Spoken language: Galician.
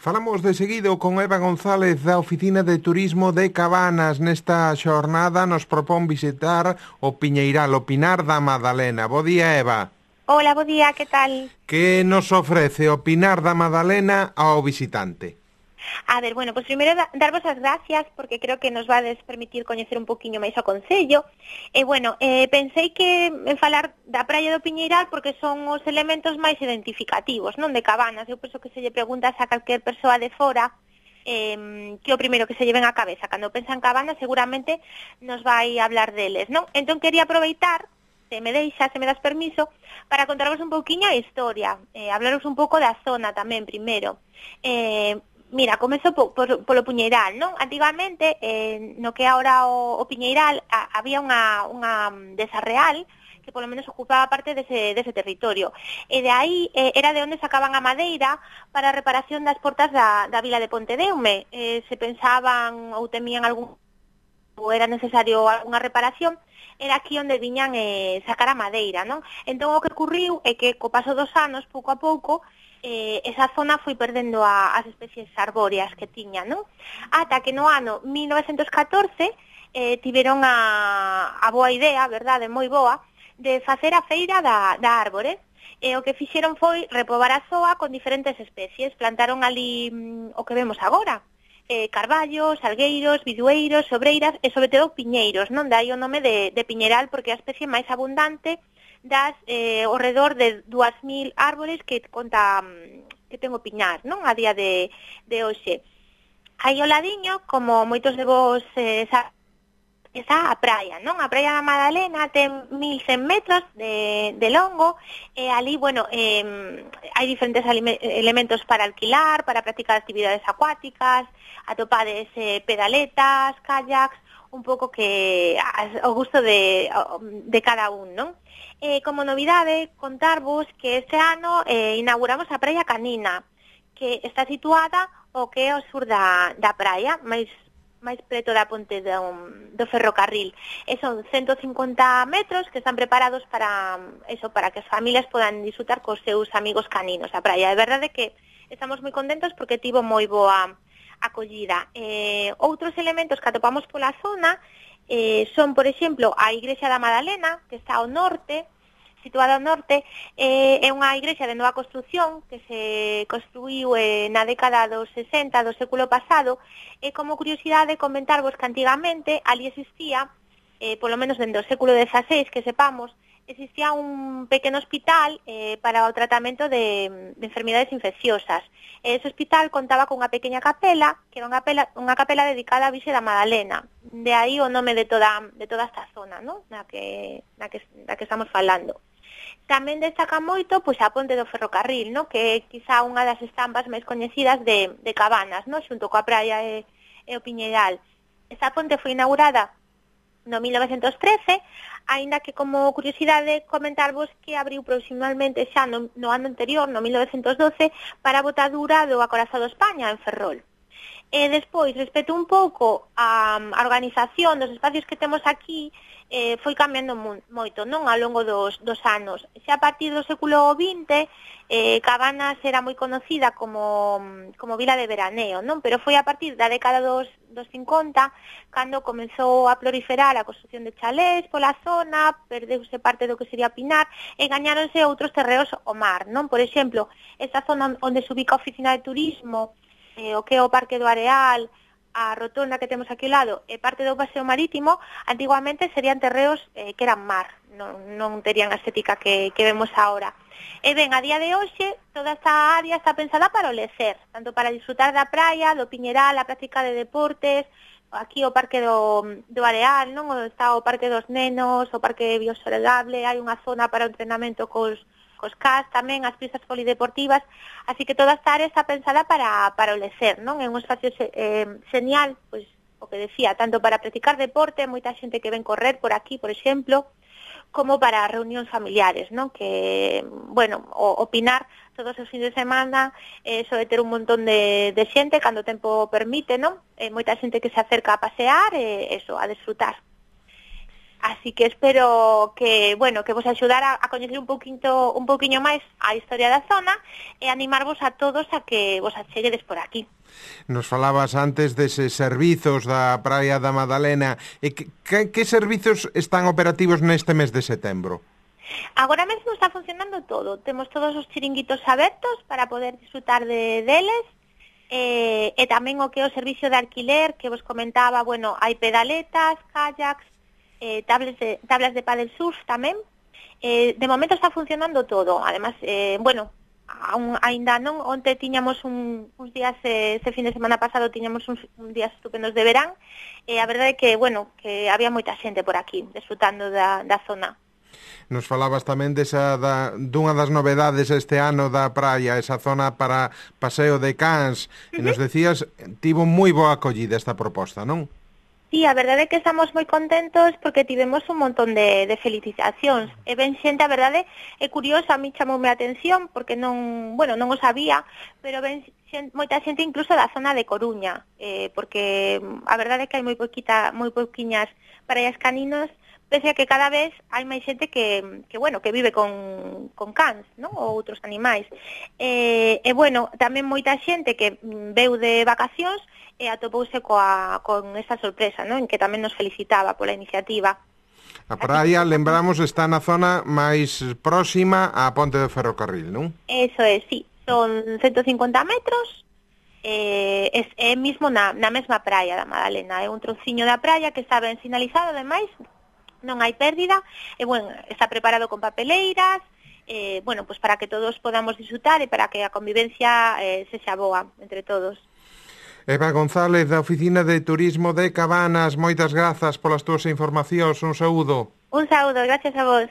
Falamos de seguido con Eva González da Oficina de Turismo de Cabanas. Nesta xornada nos propón visitar o Piñeiral, o Pinar da Madalena. Bo día, Eva. Hola, bo día, que tal? Que nos ofrece o Pinar da Madalena ao visitante? A ver, bueno, pues primeiro darvos as gracias porque creo que nos vades permitir coñecer un poquinho máis o Concello. Pensei que en falar da praia do Piñeiral porque son os elementos máis identificativos, non, de Cabanas. Eu penso que se lle preguntas a calquer persoa de fora que o primeiro que se lle ven á cabeza. Cando pensa en Cabanas seguramente nos vai hablar deles, non? Entón quería aproveitar, se me das permiso, para contaros un pouquiño a historia, hablaros un pouco da zona tamén primeiro. Mira, comezo polo Piñeiral, non? Antigamente, no que agora o Piñeiral, había unha deza real que polo menos ocupaba parte dese territorio. E de aí era de onde sacaban a madeira para a reparación das portas da vila de Pontedeume. Se pensaban ou temían ou era necesario algunha reparación, era aquí onde viñan sacar a madeira, non? Entón o que ocurriu é que co paso dos anos, pouco a pouco, esa zona foi perdendo as especies arbóreas que tiña, non? Ata que no ano 1914 tiveron a boa idea, verdade, moi boa, de facer a feira da árbore. E o que fixeron foi repobar a zoa con diferentes especies. Plantaron ali o que vemos agora, carballos, salgueiros, bidueiros, sobreiras e sobre todo piñeiros, non? Dai o nome de Piñeiral porque é a especie máis abundante das ao redor de 2.000 árbores que conta que ten o Piñar, non? A día de hoxe. Aí ao ladiño, como moitos de vos está a praia, non? A praia da Madalena ten 1.100 metros de longo e ali, bueno, hai diferentes elementos para alquilar, para practicar actividades acuáticas, atopades pedaletas, kayaks, un pouco que ao gusto de cada un, non? Como novidade, contarvos que este ano inauguramos a Praia Canina, que está situada o que é ao sur da praia, máis preto da ponte do ferrocarril. E son 150 metros que están preparados para que as familias podan disfrutar cos seus amigos caninos a praia. É verdade que estamos moi contentos porque tivo moi boa acollida. Outros elementos que atopamos pola zona son, por exemplo, a Igrexa da Madalena, que está ao norte, situada ao norte, é unha igrexa de nova construción que se construíu na década dos 60 do século pasado, e como curiosidade comentarvos que antigamente ali existía, polo menos dentro do século XVI, que sepamos, existía un pequeno hospital para o tratamento de enfermidades infecciosas. Ese hospital contaba con unha pequena capela, que era unha capela dedicada á Virxe da Madalena. De aí o nome de toda esta zona, ¿no? na que estamos falando. Tamén destaca moito pois a ponte do ferrocarril, no? Que é quizá unha das estampas máis coñecidas de Cabanas, no? Xunto coa praia e o Piñeiral. Esta ponte foi inaugurada no 1913, aínda que como curiosidade comentarvos que abriu proximalmente xa no ano anterior, no 1912, para a botadura do acorazado España en Ferrol. E despois, respecto un pouco a organización dos espacios que temos aquí, foi cambiando moito, non, ao longo dos anos. Xa a partir do século XX, Cabanas era moi conocida como vila de veraneo, non? Pero foi a partir da década dos 50 cando comezou a proliferar a construción de chalés pola zona, perdeuse parte do que sería Pinar e gañáronse outros terreos ao mar, non? Por exemplo, esta zona onde se ubica a oficina de turismo, o que é o Parque do Areal, a rotonda que temos aquí ao lado e parte do paseo marítimo, antiguamente serían terreos que eran mar, non terían a estética que vemos agora. E ben, a día de hoxe, toda esta área está pensada para o lecer, tanto para disfrutar da praia, do Piñeiral, a práctica de deportes, aquí o Parque do Areal, non? Está o Parque dos Nenos, o Parque Biosoldable, hai unha zona para o entrenamento cos CAS tamén, as pistas polideportivas, así que toda esta área está pensada para o lecer, non? É un espacio genial, pois, o que decía, tanto para practicar deporte, moita xente que ven correr por aquí, por exemplo, como para reunións familiares, non? Que, bueno, o Pinar todos os fins de semana soe ter un montón de xente cando o tempo permite, non? Moita xente que se acerca a pasear e a desfrutar. Así que espero que, bueno, que vos axudara a coñecer un poquinho máis a historia da zona e animarvos a todos a que vos acheguedes por aquí. Nos falabas antes deses servizos da Praia da Madalena. E que servizos están operativos neste mes de setembro? Agora mesmo está funcionando todo. Temos todos os chiringuitos abertos para poder disfrutar deles. E tamén o que é o servicio de alquiler que vos comentaba, bueno, hai pedaletas, kayaks, tablas de paddle surf tamén. De momento está funcionando todo. Además, bueno, aínda non, onte tiñamos uns días, este fin de semana pasado tiñamos uns días estupendos de verán, e a verdade é que, bueno, que había moita xente por aquí disfrutando da zona. Nos falabas tamén dunha das novedades este ano da praia, esa zona para paseo de cans, e nos decías, tivo moi boa acollida esta proposta, non? Sí, a verdade é que estamos moi contentos porque tivemos un montón de felicitacións. E ben xente, a verdade, é curioso, a mí chamoume a atención porque non o sabía, pero ben moita xente incluso da zona de Coruña, porque a verdade é que hai moi pouquiñas praias caninas, pese a que cada vez hai máis xente que vive con cans, non? Ou outros animais. E bueno, tamén moita xente que veu de vacacións e atopouse con esta sorpresa, non? En que tamén nos felicitaba pola iniciativa. A praia, lembramos, está na zona máis próxima á ponte do ferrocarril, non? Eso é, sí. Son 150 metros, é mismo na mesma praia da Madalena. É un trociño da praia que está ben sinalizado, ademais, non hai pérdida, e, bueno, está preparado con papeleiras, bueno, pues para que todos podamos disfrutar e para que a convivencia sexa boa entre todos. Eva González, da Oficina de Turismo de Cabanas, moitas grazas polas túas informacións, un saúdo. Un saúdo, gracias a vos.